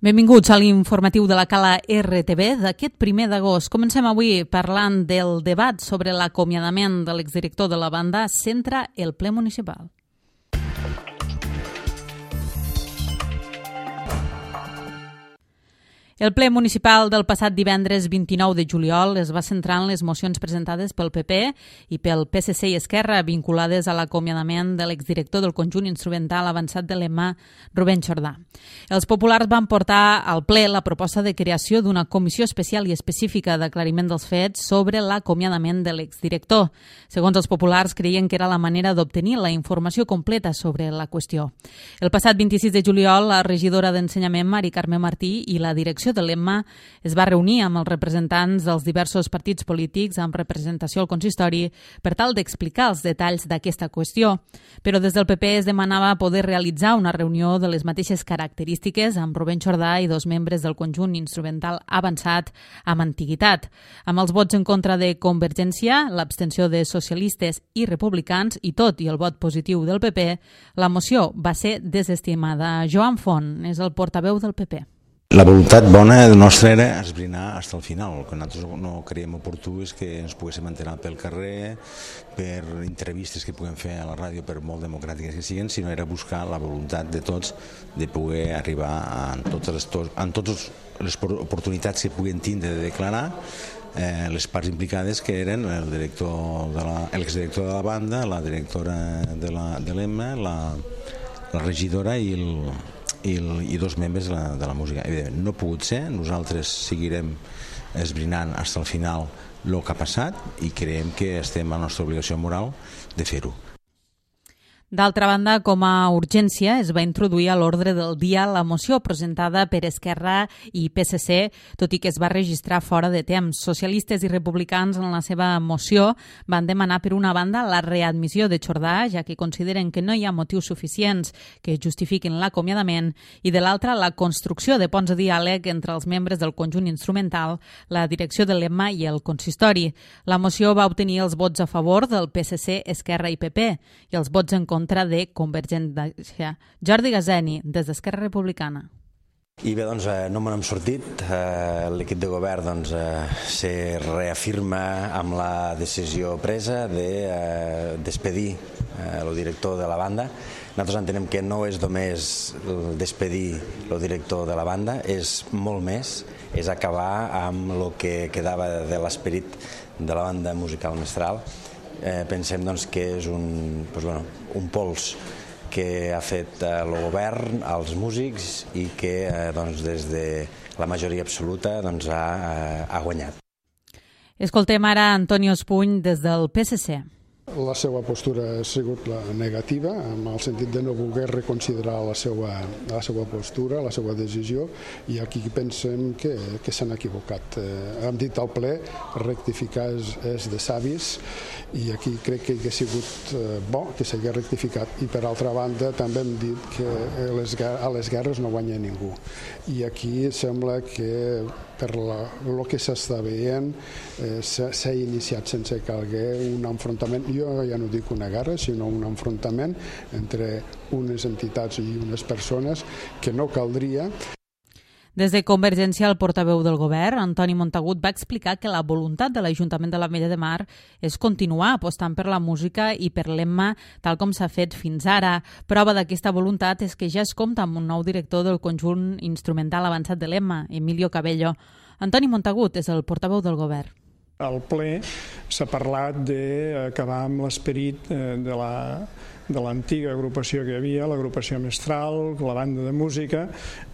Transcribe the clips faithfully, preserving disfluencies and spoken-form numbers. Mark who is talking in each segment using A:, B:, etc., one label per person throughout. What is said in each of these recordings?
A: Benvinguts a l'informatiu de la Cala R T V d'aquest primer d'agost. Comencem avui parlant del debat sobre l'acomiadament de l'exdirector de la banda Centra el ple municipal. El ple municipal del passat divendres vint-i-nou de juliol es va centrar en les mocions presentades pel P P i pel P S C i Esquerra vinculades a l'acomiadament de l'exdirector del conjunt instrumental avançat de l'E M A, Rubén Jordà. Els populars van portar al ple la proposta de creació d'una comissió especial i específica d'aclariment dels fets sobre l'acomiadament de l'exdirector. Segons els populars, creien que era la manera d'obtenir la informació completa sobre la qüestió. El passat vint-i-sis de juliol, la regidora d'Ensenyament, Mari Carme Martí, i la direcció de l'E M A es va reunir amb els representants dels diversos partits polítics amb representació al consistori per tal d'explicar els detalls d'aquesta qüestió. Però des del P P es demanava poder realitzar una reunió de les mateixes característiques amb Rubén Jordà i dos membres del conjunt instrumental avançat amb antiguitat. Amb els vots en contra de Convergència, l'abstenció de socialistes i republicans i tot i el vot positiu del P P, la moció va ser desestimada. Joan Font és el portaveu del P P.
B: La voluntat bona nostra era esbrinar fins al final. El que nosaltres no creiem oportú és que ens poguéssim enterar pel carrer, per entrevistes que puguem fer a la ràdio, per molt democràtiques que siguin, sinó era buscar la voluntat de tots de poder arribar en totes les, en totes les oportunitats que puguin tindre de declarar eh, les parts implicades, que eren el director de la, l'exdirector de la banda, la directora de la, de l'E M A, la, la regidora i el I, el, i dos membres de la, de la música. Evidentment, no ha pogut ser, nosaltres seguirem esbrinant fins al final el que ha passat i creiem que estem a la nostra obligació moral de fer-ho.
A: D'altra banda, com a urgència, es va introduir a l'ordre del dia la moció presentada per Esquerra i P S C, tot i que es va registrar fora de temps. Socialistes i republicans en la seva moció van demanar per una banda la readmissió de Jordà, ja que consideren que no hi ha motius suficients que justifiquin l'acomiadament, i de l'altra la construcció de ponts de diàleg entre els membres del conjunt instrumental, la direcció de l'E M A i el consistori. La moció va obtenir els vots a favor del P S C, Esquerra i P P i els vots en contra de Convergència. Jordi Gazeni, des d'Esquerra Republicana.
C: I bé, doncs no me n'hem sortit. L'equip de govern doncs, se reafirma amb la decisió presa de despedir el director de la banda. Nosaltres entenem que no és només despedir el director de la banda, és molt més, és acabar amb el que quedava de l'esperit de la banda musical Mestral. Eh, pensem doncs, que és un, doncs, bueno, un pols que ha fet eh, el govern als músics i que eh, doncs, des de la majoria absoluta doncs, ha, eh, ha guanyat.
A: Escoltem ara Antonio Espuny des del P S C.
D: La seva postura ha sigut la negativa, en el sentit de no voler reconsiderar la seva, la seva postura, la seva decisió, i aquí pensem que, que s'han equivocat. Eh, hem dit al ple, rectificar és, és de savis, i aquí crec que ha sigut eh, bo que s'hagi rectificat. I per altra banda també hem dit que les, a les guerres no guanya ningú. I aquí sembla que per la, el que s'està veient eh, s'ha iniciat sense calguer un enfrontament. Jo ja no dic una guerra, sinó un enfrontament entre unes entitats i unes persones que no caldria.
A: Des de Convergència, el portaveu del govern, Antoni Montagut, va explicar que la voluntat de l'Ajuntament de l'Ametlla de Mar és continuar apostant per la música i per l'E M A tal com s'ha fet fins ara. Prova d'aquesta voluntat és que ja es compta amb un nou director del conjunt instrumental avançat de l'E M A, Emilio Cabello. Antoni Montagut és el portaveu del govern.
E: Al ple s'ha parlat d'acabar amb l'esperit de la de l'antiga agrupació que hi havia, l'agrupació Mestral, la banda de música.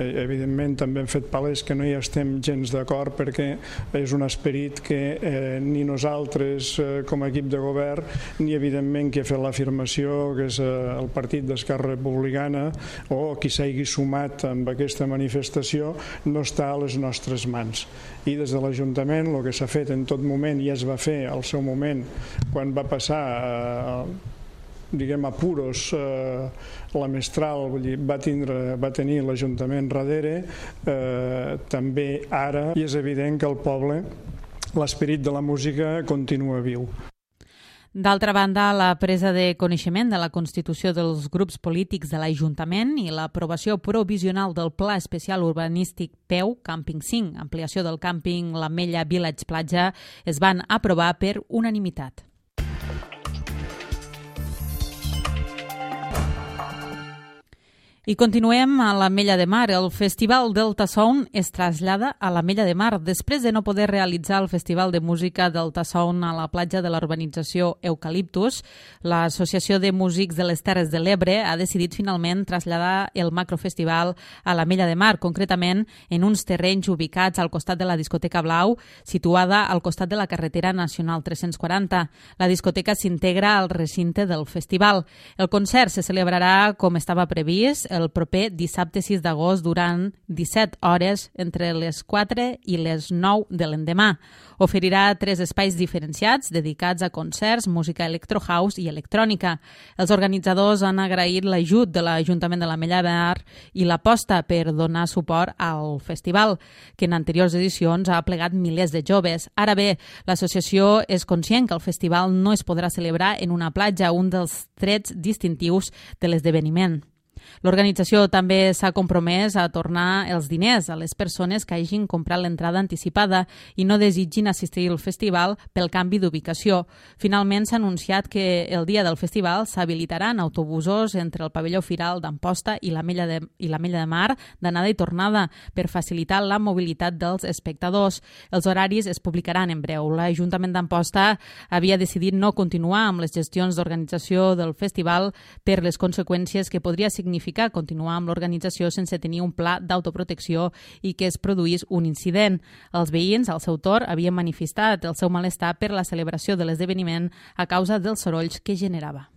E: Evidentment també hem fet palès que no hi estem gens d'acord perquè és un esperit que eh, ni nosaltres eh, com a equip de govern ni evidentment qui ha fet l'afirmació que és eh, el partit d'Esquerra Republicana o qui s'hagi sumat amb aquesta manifestació no està a les nostres mans. I des de l'Ajuntament el que s'ha fet en tot moment i es va fer al seu moment quan va passar eh, diguem apuros eh, la Mestral, vull dir, va, tindre, va tenir l'Ajuntament darrere, eh, també ara, i és evident que el poble, l'esperit de la música continua viu.
A: D'altra banda, la presa de coneixement de la constitució dels grups polítics de l'Ajuntament i l'aprovació provisional del Pla Especial Urbanístic P E U Càmping cinc, ampliació del càmping l'Ametlla Village Platja, es van aprovar per unanimitat. I continuem a l'Ametlla de Mar. El Festival Delta Sound es trasllada a l'Ametlla de Mar. Després de no poder realitzar el Festival de Música Delta Sound a la platja de la urbanització Eucaliptus, l'Associació de Músics de les Terres de l'Ebre ha decidit finalment traslladar el macrofestival a l'Ametlla de Mar, concretament en uns terrenys ubicats al costat de la discoteca Blau, situada al costat de la carretera nacional tres-cents quaranta. La discoteca s'integra al recinte del festival. El concert se celebrarà com estava previst el proper dissabte sis d'agost durant disset hores entre les quatre i les nou de l'endemà. Oferirà tres espais diferenciats dedicats a concerts, música electro house i electrònica. Els organitzadors han agraït l'ajut de l'Ajuntament de l'Ametlla de Mar i l'aposta per donar suport al festival, que en anteriors edicions ha plegat milers de joves. Ara bé, l'associació és conscient que el festival no es podrà celebrar en una platja, un dels trets distintius de l'esdeveniment. L'organització també s'ha compromès a tornar els diners a les persones que hagin comprat l'entrada anticipada i no desitgin assistir al festival pel canvi d'ubicació. Finalment s'ha anunciat que el dia del festival s'habilitaran autobusos entre el pavelló Firal d'Amposta i l'Ametlla de, i l'Ametlla de Mar d'anada i tornada per facilitar la mobilitat dels espectadors. Els horaris es publicaran en breu. L'Ajuntament d'Amposta havia decidit no continuar amb les gestions d'organització del festival per les conseqüències que podria significar significa continuar amb l'organització sense tenir un pla d'autoprotecció i que es produís un incident. Els veïns, al seu torn, havien manifestat el seu malestar per la celebració de l'esdeveniment a causa dels sorolls que generava.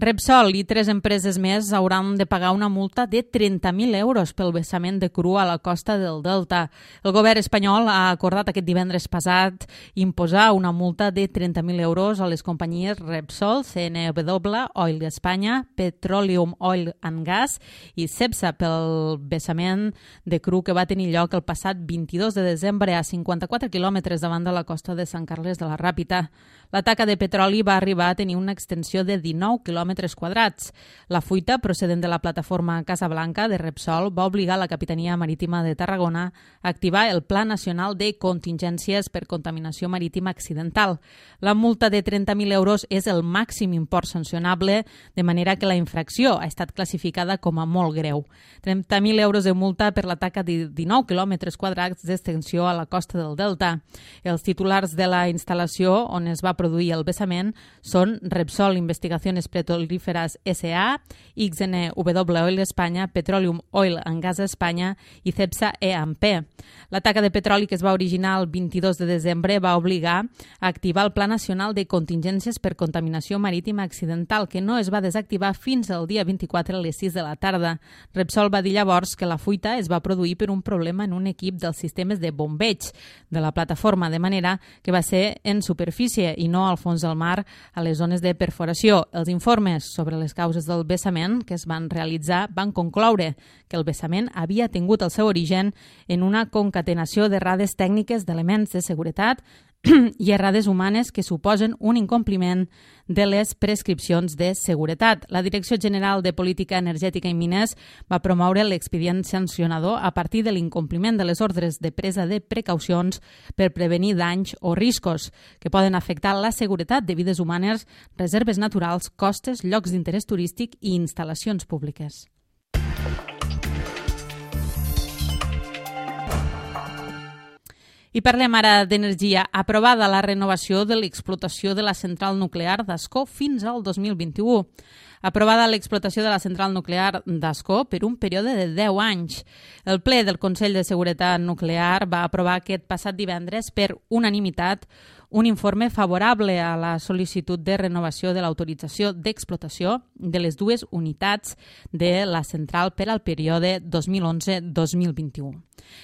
A: Repsol i tres empreses més hauran de pagar una multa de trenta mil euros pel vessament de cru a la costa del Delta. El govern espanyol ha acordat aquest divendres passat imposar una multa de trenta mil euros a les companyies Repsol, C N W, Oil Espanya, Petroleum Oil and Gas i Cepsa pel vessament de cru que va tenir lloc el passat vint-i-dos de desembre a cinquanta-quatre quilòmetres davant de la costa de Sant Carles de la Ràpita. La taca de petroli va arribar a tenir una extensió de dinou quilòmetres quadrats. La fuita, procedent de la plataforma Casablanca de Repsol, va obligar la Capitania Marítima de Tarragona a activar el Pla Nacional de Contingències per Contaminació Marítima Accidental. La multa de trenta mil euros és el màxim import sancionable, de manera que la infracció ha estat classificada com a molt greu. trenta mil euros de multa per la taca de dinou quilòmetres quadrats d'extensió a la costa del Delta. Els titulars de la instal·lació on es va produir el vessament són Repsol Investigaciones Petrolíferas S A, X N W Oil Espanya, Petroleum Oil and Gas Espanya i Cepsa E A M P. La taca de petroli que es va originar el vint-i-dos de desembre va obligar a activar el Pla Nacional de Contingències per Contaminació Marítima Accidental, que no es va desactivar fins al dia vint-i-quatre a les sis de la tarda. Repsol va dir llavors que la fuita es va produir per un problema en un equip dels sistemes de bombeig de la plataforma, de manera que va ser en superfície i no al fons del mar a les zones de perforació. Els informes sobre les causes del vessament que es van realitzar van concloure que el vessament havia tingut el seu origen en una concatenació d'errades tècniques d'elements de seguretat i errades humanes que suposen un incompliment de les prescripcions de seguretat. La Direcció General de Política Energètica i Mines va promoure l'expedient sancionador a partir de l'incompliment de les ordres de presa de precaucions per prevenir danys o riscos que poden afectar la seguretat de vides humanes, reserves naturals, costes, llocs d'interès turístic i instal·lacions públiques. I parlem ara d'energia. Aprovada la renovació de l'explotació de la central nuclear d'Ascó fins al dos mil vint-i-u. Aprovada l'explotació de la central nuclear d'Ascó per un període de deu anys. El ple del Consell de Seguretat Nuclear va aprovar aquest passat divendres per unanimitat un informe favorable a la sol·licitud de renovació de l'autorització d'explotació de les dues unitats de la central per al període dos mil onze a dos mil vint-i-u.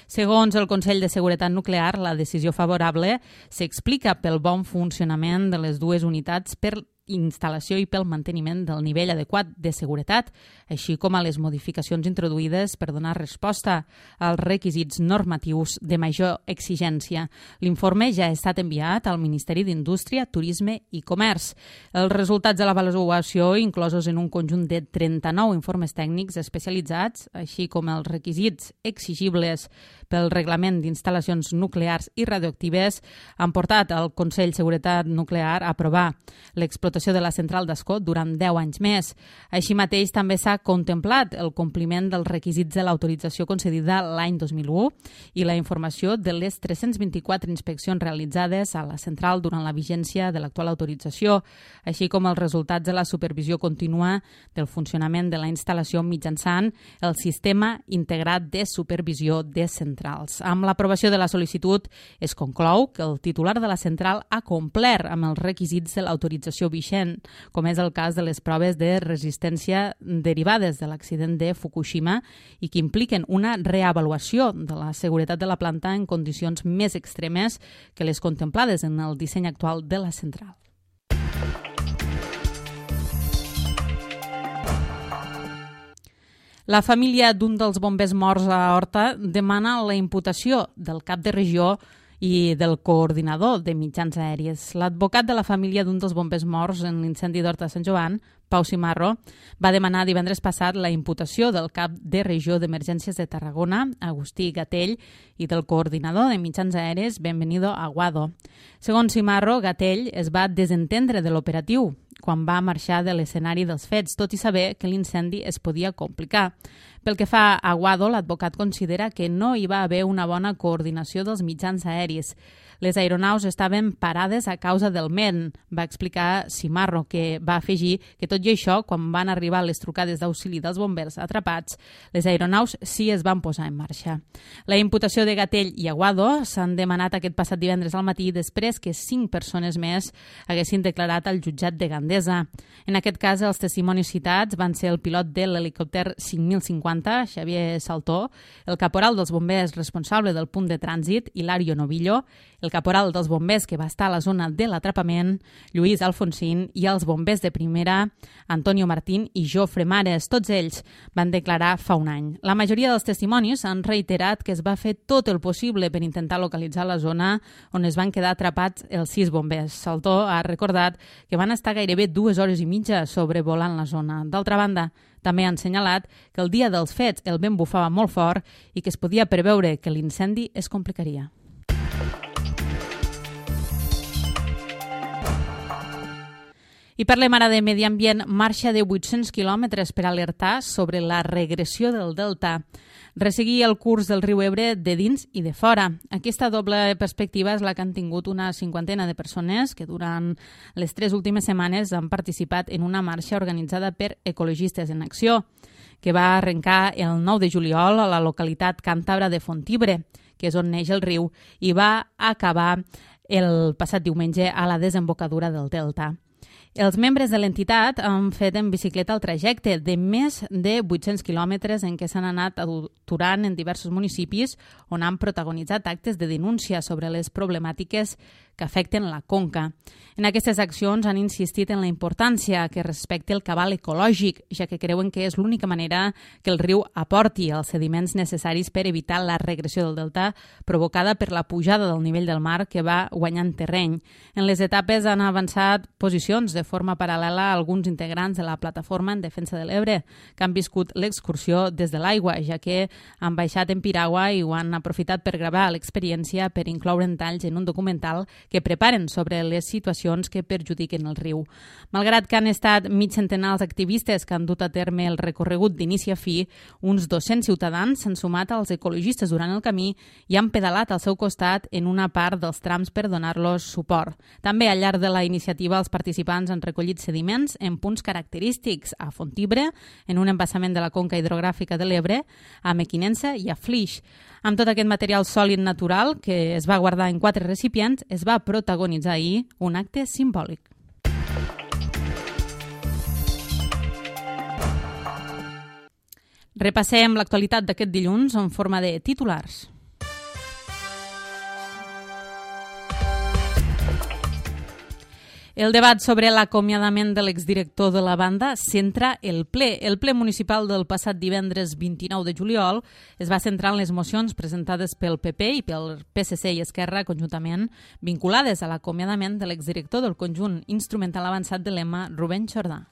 A: Segons el Consell de Seguretat Nuclear, la decisió favorable s'explica pel bon funcionament de les dues unitats per instal·lació i pel manteniment del nivell adequat de seguretat, així com a les modificacions introduïdes per donar resposta als requisits normatius de major exigència. L'informe ja ha estat enviat al Ministeri d'Indústria, Turisme i Comerç. Els resultats de l'avaluació, inclosos en un conjunt de trenta-nou informes tècnics especialitzats, així com els requisits exigibles pel Reglament d'Instal·lacions Nuclears i Radioactives, han portat al Consell de Seguretat Nuclear a aprovar l'explotació de la central d'Ascó durant deu anys més. Així mateix, també s'ha contemplat el compliment dels requisits de l'autorització concedida l'any dos mil u i la informació de les tres-cents vint-i-quatre inspeccions realitzades a la central durant la vigència de l'actual autorització, així com els resultats de la supervisió contínua del funcionament de la instal·lació mitjançant el Sistema Integrat de Supervisió de Centrals. Amb l'aprovació de la sol·licitud es conclou que el titular de la central ha complert amb els requisits de l'autorització vigent, com és el cas de les proves de resistència derivades de l'accident de Fukushima i que impliquen una reavaluació de la seguretat de la planta en condicions més extremes que les contemplades en el disseny actual de la central. La família d'un dels bombers morts a Horta demana la imputació del cap de regió i del coordinador de mitjans aèries. L'advocat de la família d'un dels bombers morts en l'incendi d'Horta de Sant Joan, Pau Cimarro, va demanar divendres passat la imputació del cap de regió d'emergències de Tarragona, Agustí Gatell, i del coordinador de mitjans aèries, Benvenido Aguado. Segons Cimarro, Gatell es va desentendre de l'operatiu quan va marxar de l'escenari dels fets, tot i saber que l'incendi es podia complicar. Pel que fa a Aguado, l'advocat considera que no hi va haver una bona coordinació dels mitjans aèris. Les aeronaus estaven parades a causa del M E N, va explicar Cimarro, que va afegir que tot i això, quan van arribar les trucades d'auxili dels bombers atrapats, les aeronaus sí es van posar en marxa. La imputació de Gatell i Aguado s'han demanat aquest passat divendres al matí després que cinc persones més haguessin declarat al jutjat de Gandesa. En aquest cas, els testimonis citats van ser el pilot de l'helicòpter cinc mil cinquanta, Xavier Saltó, el caporal dels bombers responsable del punt de trànsit, Hilario Novillo, el caporal dels bombers que va estar a la zona de l'atrapament, Lluís Alfonsín, i els bombers de primera, Antonio Martín i Jofre Mares. Tots ells van declarar fa un any. La majoria dels testimonis han reiterat que es va fer tot el possible per intentar localitzar la zona on es van quedar atrapats els sis bombers. Saltó ha recordat que van estar gairebé dues hores i mitja sobrevolant la zona. D'altra banda, també han assenyalat que el dia dels fets el vent bufava molt fort i que es podia preveure que l'incendi es complicaria. I parlem ara de medi ambient. Marxa de vuit-cents quilòmetres per alertar sobre la regressió del delta. Resseguir el curs del riu Ebre de dins i de fora. Aquesta doble perspectiva és la que han tingut una cinquantena de persones que durant les tres últimes setmanes han participat en una marxa organitzada per Ecologistes en Acció, que va arrencar el nou de juliol a la localitat càntabra de Fontibre, que és on neix el riu, i va acabar el passat diumenge a la desembocadura del delta. Els membres de l'entitat han fet en bicicleta el trajecte de més de vuit-cents quilòmetres en què s'han anat aturant en diversos municipis on han protagonitzat actes de denúncia sobre les problemàtiques que afecten la conca. En aquestes accions han insistit en la importància que respecti el cabal ecològic, ja que creuen que és l'única manera que el riu aporti els sediments necessaris per evitar la regressió del delta provocada per la pujada del nivell del mar que va guanyant terreny. En les etapes han avançat posicions de forma paral·lela a alguns integrants de la plataforma en defensa de l'Ebre, que han viscut l'excursió des de l'aigua, ja que han baixat en piragua i ho han aprofitat per gravar l'experiència per incloure en talls en un documental que preparen sobre les situacions que perjudiquen el riu. Malgrat que han estat mig centenar els activistes que han dut a terme el recorregut d'inici a fi, uns dos-cents ciutadans s'han sumat als ecologistes durant el camí i han pedalat al seu costat en una part dels trams per donar-los suport. També al llarg de la iniciativa els participants han recollit sediments en punts característics a Fontibre, en un embassament de la conca hidrogràfica de l'Ebre, a Mequinensa i a Flix. Amb tot aquest material sòlid natural, que es va guardar en quatre recipients, es va protagonitzar ahir un acte simbòlic. Repassem l'actualitat d'aquest dilluns en forma de titulars. El debat sobre l'acomiadament de l'exdirector de la banda centra el ple. El ple municipal del passat divendres vint-i-nou de juliol es va centrar en les mocions presentades pel P P i pel P S C i Esquerra conjuntament vinculades a l'acomiadament de l'exdirector del conjunt instrumental avançat de l'E M A, Rubén Jordà.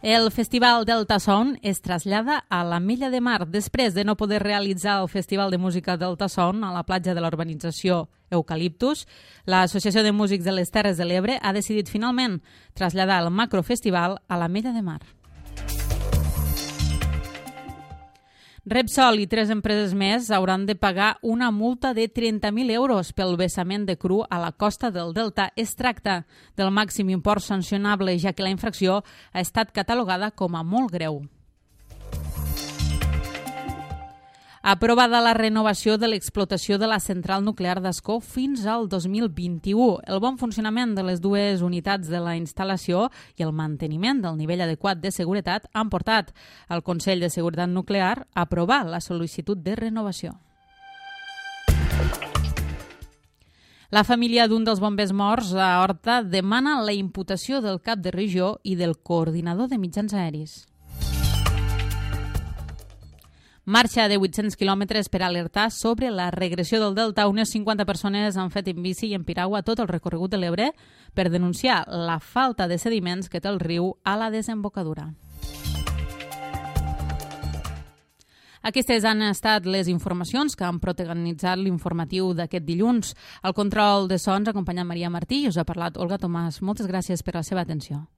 A: El Festival Delta Sound es trasllada a l'Ametlla de Mar. Després de no poder realitzar el Festival de Música Delta Sound a la platja de la urbanització Eucaliptus, l'Associació de Músics de les Terres de l'Ebre ha decidit finalment traslladar el macrofestival a l'Ametlla de Mar. Repsol i tres empreses més hauran de pagar una multa de trenta mil euros pel vessament de cru a la costa del Delta. Es tracta del màxim import sancionable, ja que la infracció ha estat catalogada com a molt greu. Aprovada la renovació de l'explotació de la central nuclear d'Ascó fins al dos mil vint-i-u. El bon funcionament de les dues unitats de la instal·lació i el manteniment del nivell adequat de seguretat han portat al Consell de Seguretat Nuclear a aprovar la sol·licitud de renovació. La família d'un dels bombers morts a Horta demana la imputació del cap de regió i del coordinador de mitjans aeris. Marxa de vuit-cents quilòmetres per alertar sobre la regressió del Delta. Unes cinquanta persones han fet en bici i en piragua tot el recorregut de l'Ebre per denunciar la falta de sediments que té el riu a la desembocadura. Aquestes han estat les informacions que han protagonitzat l'informatiu d'aquest dilluns. Al control de sons acompanyant Maria Martí i us ha parlat Olga Tomàs. Moltes gràcies per la seva atenció.